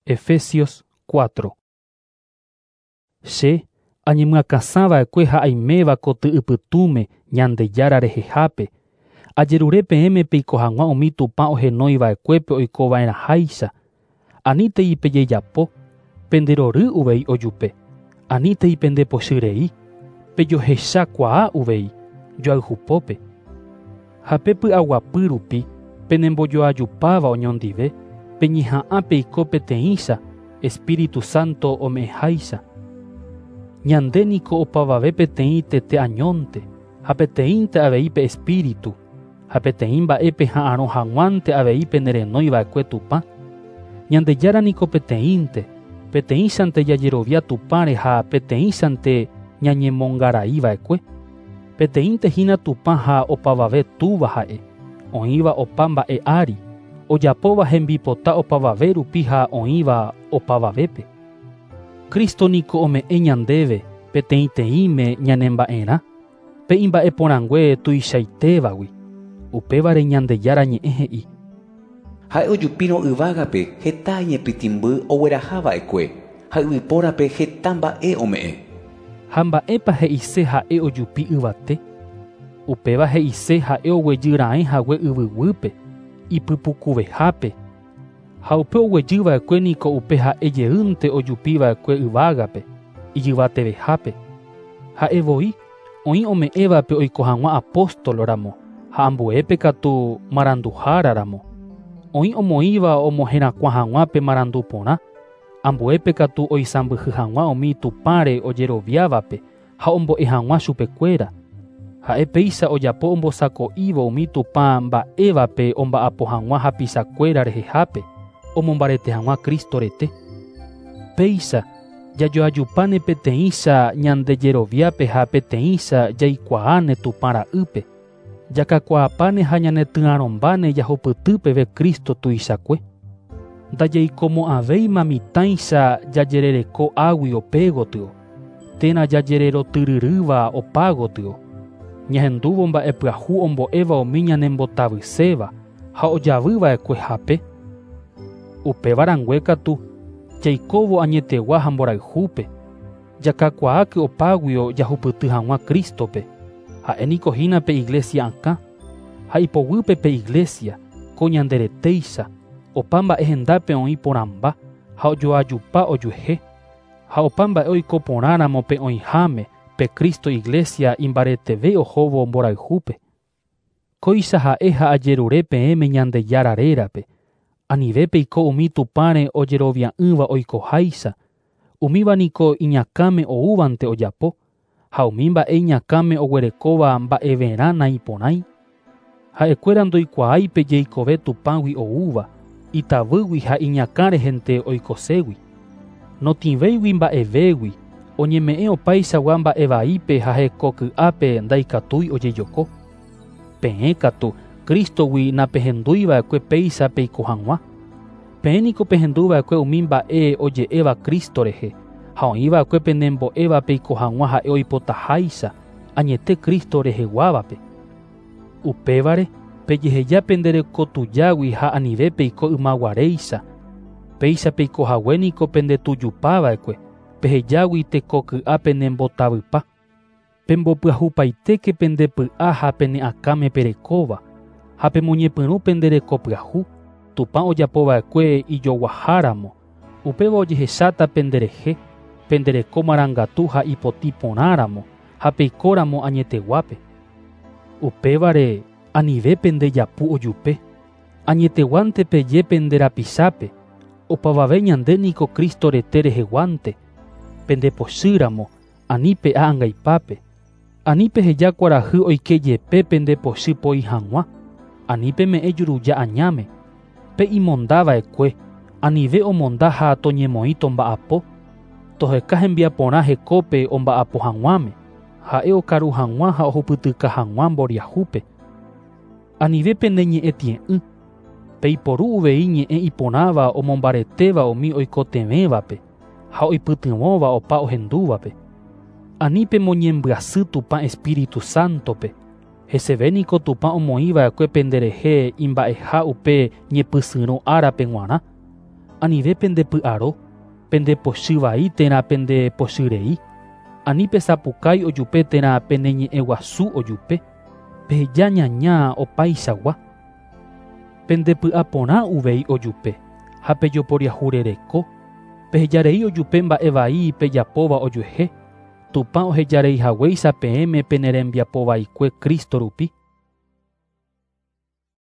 Efesios 4. Che añemyakãsãva'ekue ha aiméva koty ypytũme Ñandejára rehehápe, ajerure peẽme peiko hag̃ua umi Tupã ohenoiva'ekuépe oikova'erãháicha, anítei pejejapo, penderory uvei ojupe, anítei pendepochyrei, pejohechakuaa uvei, joayhupópe. Ha pe py'aguapy rupi penembojoajupáva oñondive, peñeha'ã peiko peteĩcha, Espíritu Santo ome'ẽháicha. Ñande niko opavave peteĩ tete añónte, ha peteĩnte avei pe Espíritu, ha peteĩ mba'e peha'arõ hag̃uánte avei penerenoiva'ekue Tupã. Ñandejára niko peteĩnte, peteĩchante jajerovia Tupãre ha peteĩchante ñañemongaraiva'ekue. Peteĩnte hína Tupã ha opavave Túva ha'e, oĩva opa mba'e ári, ojapóva hembipota opavave rupi ha oĩva opavavépe. Cristo niko ome'ẽ ñandéve peteĩteĩme ñanemba'erã, pe imba'eporãngue tuichaitévagui. Upévare Ñandejára ñe'ẽ he'i. Ha'e ojupírõ yvágape heta iñepytĩmby oguerahava'ekue ha yvypórape heta mba'e ome'ẽ. Ha mba'épa he'ise ha'e ojupi yvate? Upéva he'ise ha'e oguejy raẽ hague yvyguýpe, ipypukuvehápe. Ha upe oguejyva'ekue niko upe ha'e jeýnte ojupiva'ekue yvágape, ijyvatevehápe. Ha'e voi oĩ ome'ẽvape oiko hag̃ua apóstol ramo ha ambuépe katu maranduhára ramo. Oĩ omoĩva omoherakuã hag̃ua pe marandu porã, ambuépe katu oisãmbyhy hag̃ua umi Tupãre ojeroviávape ha ombo'e hag̃ua chupekuéra. Ha'e péicha ojapo ombosako'ívo umi Tupã mba'évape omba'apo hag̃ua hapichakuéra rehehápe, omombarete hag̃ua Cristo rete. Péicha jajoajupáne peteĩcha ñandejeroviápe ha peteĩcha jaikuaáne Tupã ra'ýpe. Jakakuaapáne ha ñanetyarõmbáne jahupyty peve Cristo tuichakue. Ndajaikomo'ãvéima mitãicha jajerereko águi opégotyo, térã jajererotyryrýva opágotyo. Ñahendúvo mba'epyahu ombo'éva umi ñanembotavyséva ha ojavyva'ekue hape. Upéva rangue katu jaikóvo añetegua ha mborayhúpe, jakakuaáke opáguio jahupyty hag̃ua Cristo-pe. Ha'e niko hína pe iglesia akã, ha ipoguýpe pe iglesia, ko ñanderetéicha, opa mba'e hendápe oĩ porãmba ha ojoajupa ojuehe, ha opa mba'e oiko porãramo pe oĩháme pe Cristo iglesia imbareteve ohóvo mborayhúpe. Kóicha ha'e ha ajerure peẽme Ñandejára rérape, anive peiko umi Tupãre ojerovia'ỹva oikoháicha, umíva niko iñakãme oúvante ojapo, ha umi mba'e iñakãme oguerekóva mba'everã naiporãi. Ha'ekuéra ndoikuaái pe jeikove Tupãgui oúva, itavýgui ha iñakã rehente oikoségui. Notĩvéigui mba'evégui, oñeme'ẽ opaichagua mba'evaípe ha hekoky'ápe ndaikatúi ojejoko. Peẽ katu Cristogui napehendúiva'ekue péicha peiko hag̃ua. Peẽ niko pehenduva'ekue umi mba'e oje'éva Cristo rehe, ha oĩva'ekue penembo'éva peiko hag̃ua ha'e oipotaháicha, añete Cristo reheguávape. Upévare pejeheja penderekotujágui ha anive peiko ymaguaréicha. Péicha peiko hague niko pendetujupava'ekue, pehejágui tekoky'a penembotavypa. Pembopyahupaitéke pendepy'a ha pene akãme perekóva, ha pemoñepyrũ penderekopyahu, Tupã ojapova'ekue ijoguaháramo, upéva ojehecháta penderehe, pendereko marangatu ha ipotĩ porãramo ha peikóramo añeteguápe. Upévare anive pendejapu ojupe, añeteguánte peje penderapichápe, opavave ñande niko Cristo rete reheguánte, pendepochýramo, ani pe'a angaipápe, ani peheja kuarahy oike jepe pendepochy poi hag̃ua, ani peme'ẽ juruja añáme, pe imondava'ekue, anive omonda ha toñemoĩ tomba'apo, toheka hembiaporã hekópe omba'apo hag̃uáme, ha'e okaru hag̃ua ha ohupytyka hag̃ua mboriahúpe. Anive pene ñe'ẽ tie'ỹ, peiporu uvei ñe'ẽ iporãva omombaretéva umi oikotevẽvape ha oipytyvõva opa ohendúvape. Ani pemoñembyasy Tupã Espíritu Santo-pe, heseve niko Tupã omoĩva'ekue penderehe imba'eha upe ñepysyrõ árape g̃uarã. Anive pendepy'aro, pendepochy vai térã pendepochyrei. Ani pesapukái ojupe térã peneñe'ẽguasu ojupe. Peheja ñaña opaichagua. Pendepy'aporã uvei ojupe ha pejoporiahurereko. Pehejarei ojupe mba'e vai pejapóva ojuehe. Tupã ohejareihaguéicha peẽme penerembiapovaikue Cristo rupi.